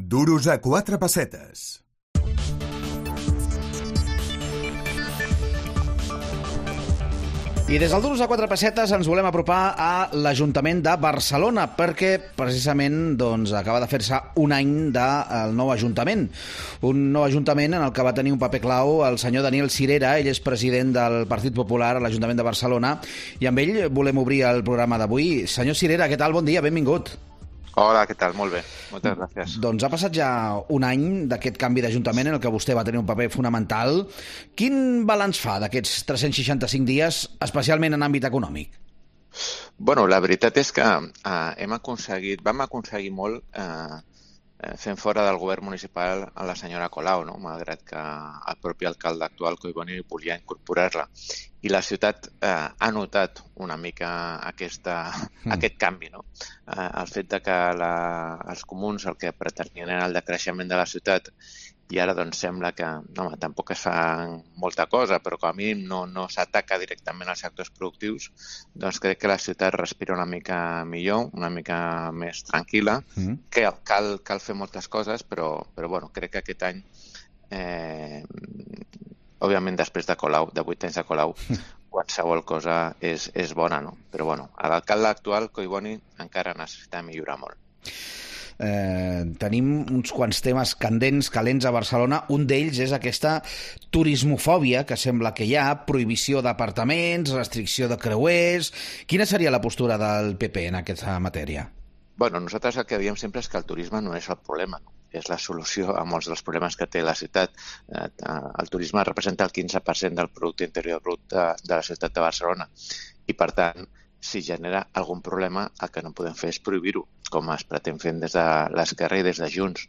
Duros a 4 pessetes. I des del Duros a 4 pessetes ens volem apropar a l'Ajuntament de Barcelona perquè precisament acaba de fer-se un any del nou Ajuntament. Un nou Ajuntament en el que va tenir un paper clau el senyor Daniel Sirera. Ell és president del Partit Popular a l'Ajuntament de Barcelona i amb ell volem obrir el programa d'avui. Senyor Sirera, què tal? Bon dia, benvingut. Hola, què tal? Molt bé. Moltes gràcies. Doncs ha passat ja un any d'aquest canvi d'Ajuntament en el que vostè va tenir un paper fonamental. Quin balanç fa d'aquests 365 dies, especialment en àmbit econòmic? Bueno, la veritat és que vam aconseguir molt fent fora del govern municipal a la senyora Colau, no? Malgrat que el propi alcalde actual, Collboni, volia incorporar-la. I la ciutat ha notat una mica aquest canvi, no? El fet de que els comuns el que pretenien era el decreixement de la ciutat i ara doncs sembla que tampoc es fa molta cosa, però com a mínim no s'ataca directament als sectors productius, doncs crec que la ciutat respira una mica millor, una mica més tranquil·la, que cal fer moltes coses, però bueno, crec que aquest any, òbviament després de Colau, de 8 anys de Colau, qualsevol cosa és bona, no? Però bueno, l'alcalde actual, Collboni, encara necessita millorar molt. Tenim uns quants temes calents a Barcelona. Un d'ells és aquesta turismofòbia que sembla que hi ha, prohibició d'apartaments, restricció de creuers. Quina seria la postura del PP en aquesta matèria? Bueno, nosaltres el que diem sempre és que el turisme no és el problema, no? És la solució a molts dels problemes que té la ciutat. El turisme representa el 15% del producte interior brut de la ciutat de Barcelona i, per tant, si genera algun problema, el que no podem fer és prohibir-ho, com es pretén fent des de l'esquerra i des de Junts,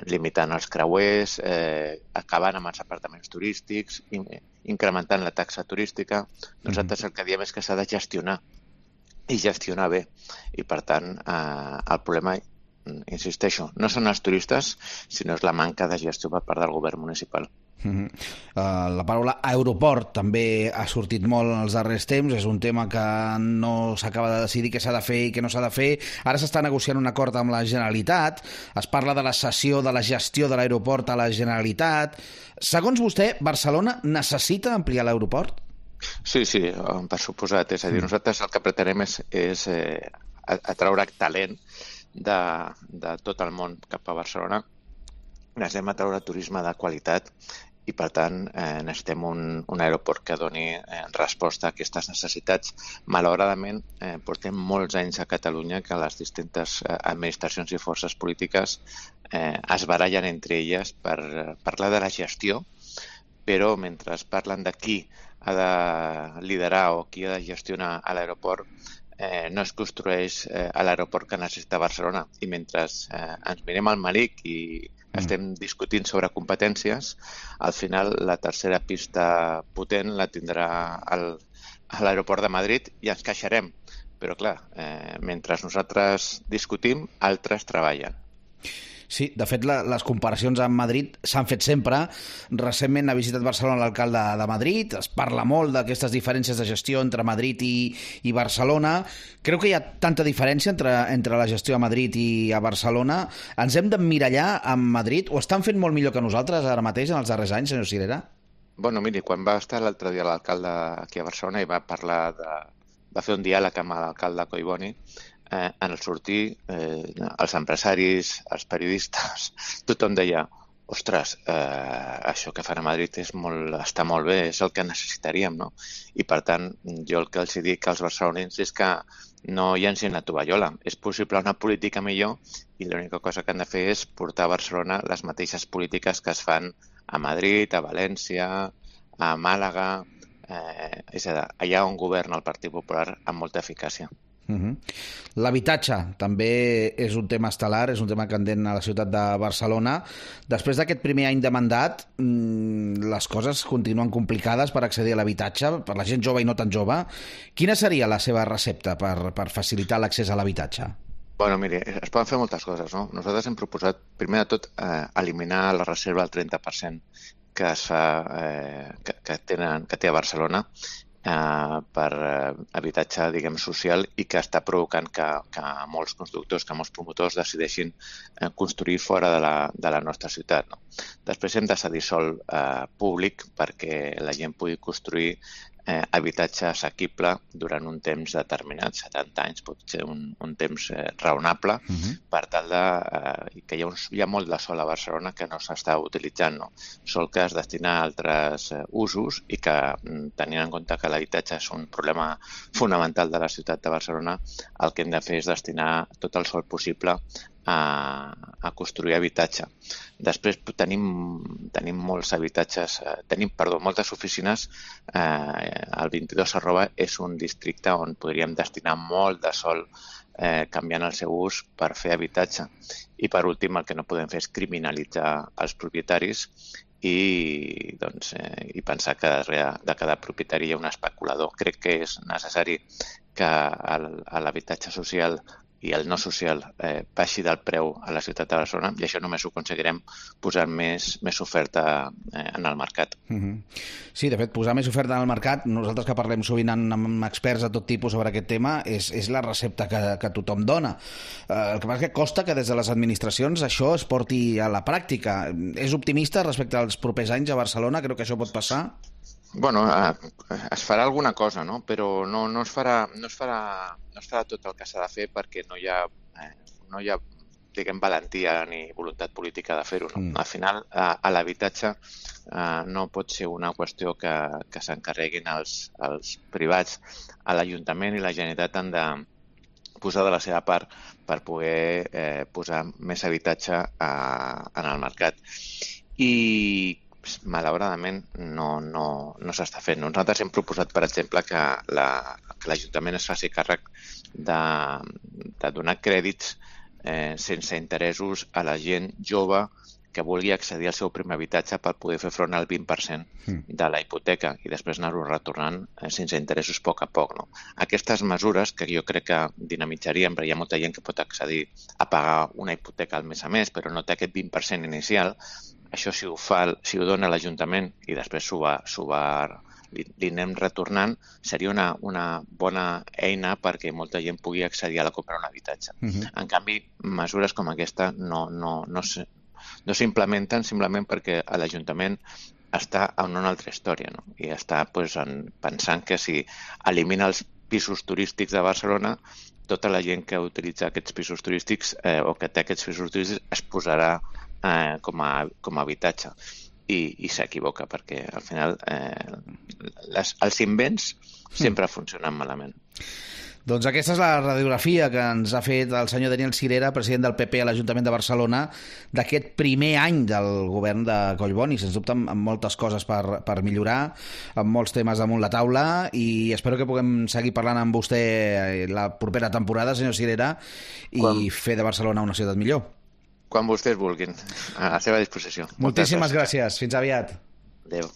limitant els creuers, acabant amb els apartaments turístics, incrementant la taxa turística. Nosaltres el que diem és que s'ha de gestionar i gestionar bé. I, per tant, el problema, insisteixo, no són els turistes, sinó és la manca de gestió per part del govern municipal. La paraula aeroport també ha sortit molt en els darrers temps. És un tema que no s'acaba de decidir què s'ha de fer i què no s'ha de fer. Ara s'està negociant un acord amb la Generalitat. Es parla de la cessió de la gestió de l'aeroport a la Generalitat. Segons vostè, Barcelona necessita ampliar l'aeroport? Sí, per suposat. És a dir, nosaltres el que pretenem és atraure talent de tot el món cap a Barcelona. Necessitem atraure turisme de qualitat i, per tant, necessitem un aeroport que doni resposta a aquestes necessitats. Malauradament, portem molts anys a Catalunya que les distintes administracions i forces polítiques es barallen entre elles per parlar de la gestió, però mentre parlen de qui ha de liderar o qui ha de gestionar l'aeroport, no es construeix l'aeroport que necessita Barcelona. I mentre ens mirem al Malic i estem discutint sobre competències, al final la tercera pista potent la tindrà a l'aeroport de Madrid i ens queixarem. Però clar, mentre nosaltres discutim, altres treballen. Sí, de fet, les comparacions amb Madrid s'han fet sempre. Recentment ha visitat Barcelona l'alcalde de Madrid. Es parla molt d'aquestes diferències de gestió entre Madrid i Barcelona. Creu que hi ha tanta diferència entre la gestió a Madrid i a Barcelona. Ens hem d'emmirallar amb Madrid? Ho estan fent molt millor que nosaltres ara mateix, en els darrers anys, senyor Sirera? Bueno, miri, quan va estar l'altre dia l'alcalde aquí a Barcelona i va parlar va fer un diàleg amb l'alcalde Collboni, en el sortir, els empresaris, els periodistes, tothom deia: ostres, això que fan a Madrid està molt bé, és el que necessitaríem, no? I, per tant, jo el que els dic als barcelonins és que no llancin la tovallola. És possible una política millor i l'única cosa que han de fer és portar a Barcelona les mateixes polítiques que es fan a Madrid, a València, a Màlaga, és a dir, allà on governa el Partit Popular amb molta eficàcia. L'habitatge també és un tema estel·lar, és un tema candent a la ciutat de Barcelona. Després d'aquest primer any de mandat, les coses continuen complicades per accedir a l'habitatge, per la gent jove i no tan jove. Quina seria la seva recepta per facilitar l'accés a l'habitatge? Bueno, miri, es poden fer moltes coses, no? Nosaltres hem proposat, primer de tot, eliminar la reserva del 30% que té a Barcelona, per habitatge, diguem, social, i que està provocant que molts constructors, que molts promotors decideixin construir fora de la nostra ciutat. No? Després hem de cedir sòl públic perquè la gent pugui construir habitatge assequible durant un temps determinat, 70 anys, pot ser un temps raonable, per tal que hi ha molt de sol a Barcelona que no s'està utilitzant, no? Sol que es destina a altres usos i que, tenint en compte que l'habitatge és un problema fonamental de la ciutat de Barcelona, el que hem de fer és destinar tot el sol possible a construir habitatge. Després tenim molts habitatges, moltes oficines. El 22 és un districte on podríem destinar molt de sòl canviant el seu ús per fer habitatge. I per últim, el que no podem fer és criminalitzar els propietaris i pensar que darrere de cada propietari hi ha un especulador. Crec que és necessari que l'habitatge social i el no social baixi del preu a la ciutat de Barcelona, i això només ho aconseguirem posant més oferta en el mercat. Sí, de fet, posar més oferta en el mercat, nosaltres que parlem sovint amb experts de tot tipus sobre aquest tema, és la recepta que tothom dona. El que passa és que costa que des de les administracions això es porti a la pràctica. És optimista respecte als propers anys a Barcelona? Creu que això pot passar? Bueno, es farà alguna cosa, no? Però no es farà tot el que s'ha de fer perquè no hi ha diguem, valentia ni voluntat política de fer-ho. No? Al final, a l'habitatge no pot ser una qüestió que s'encarreguin els privats. A l'Ajuntament i la Generalitat han de posar de la seva part per poder posar més habitatge en el mercat. I malauradament no s'està fent. Nosaltres hem proposat, per exemple, que l'Ajuntament es faci càrrec de donar crèdits sense interessos a la gent jove que vulgui accedir al seu primer habitatge per poder fer front al 20% de la hipoteca i després anar-ho retornant sense interessos a poc. No? Aquestes mesures, que jo crec que dinamitzarien, perquè hi ha molta gent que pot accedir a pagar una hipoteca al mes a mes, però no té aquest 20% inicial, això si ho dona l'Ajuntament i després li anem retornant, seria una bona eina perquè molta gent pugui accedir a la compra d'un habitatge. En canvi, mesures com aquesta no s'implementen simplement perquè l'Ajuntament està en una altra història, no? I està pensant que si elimina els pisos turístics de Barcelona, tota la gent que utilitza aquests pisos turístics o que té aquests pisos turístics es posarà com a habitatge. I s'equivoca, perquè al final els invents sempre funcionen malament. Doncs aquesta és la radiografia que ens ha fet el senyor Daniel Sirera, president del PP a l'Ajuntament de Barcelona, d'aquest primer any del govern de Collboni. Sens dubte, amb moltes coses per millorar, amb molts temes damunt la taula, i espero que puguem seguir parlant amb vostè la propera temporada, senyor Sirera, i fer de Barcelona una ciutat millor. Quan vostès vulguin, a la seva disposició. Moltíssimes gràcies. Fins aviat. Adéu.